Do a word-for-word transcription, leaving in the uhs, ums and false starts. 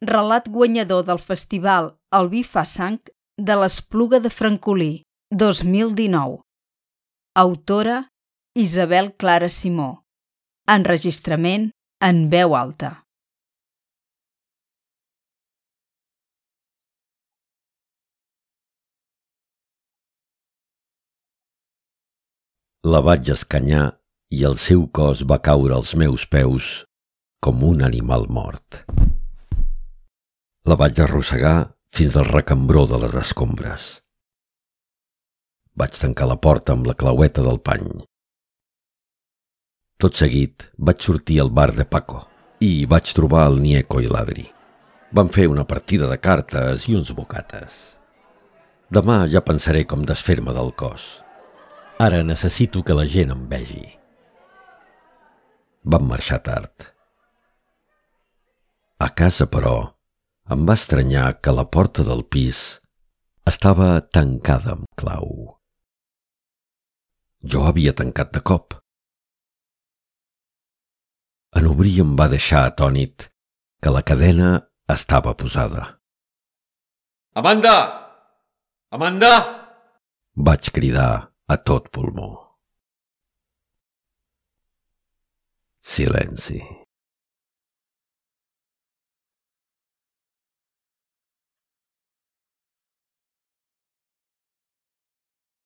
relat guanyador del festival El vi fa sang de l'Espluga de Francolí, dos mil dinou. Autora Isabel Clara Simó. Enregistrament en veu alta. La vaig escanyar i el seu cos va caure als meus peus com un animal mort. La vaig arrossegar fins al recambró de les escombres. Vaig tancar la porta amb la claueta del pany. Tot seguit vaig sortir al bar de Paco i hi vaig trobar el Nieco i l'Adri. Vam fer una partida de cartes i uns bocates. Demà ja pensaré com desfer-me del cos. Ara necessito que la gent em vegi. Vam marxar tard. A casa, però, em va estranyar que la porta del pis estava tancada amb clau. Jo havia tancat de cop. En obrir em va deixar atònit que la cadena estava posada. Amanda! Amanda! Vaig cridar a tot pulmó. Silenci.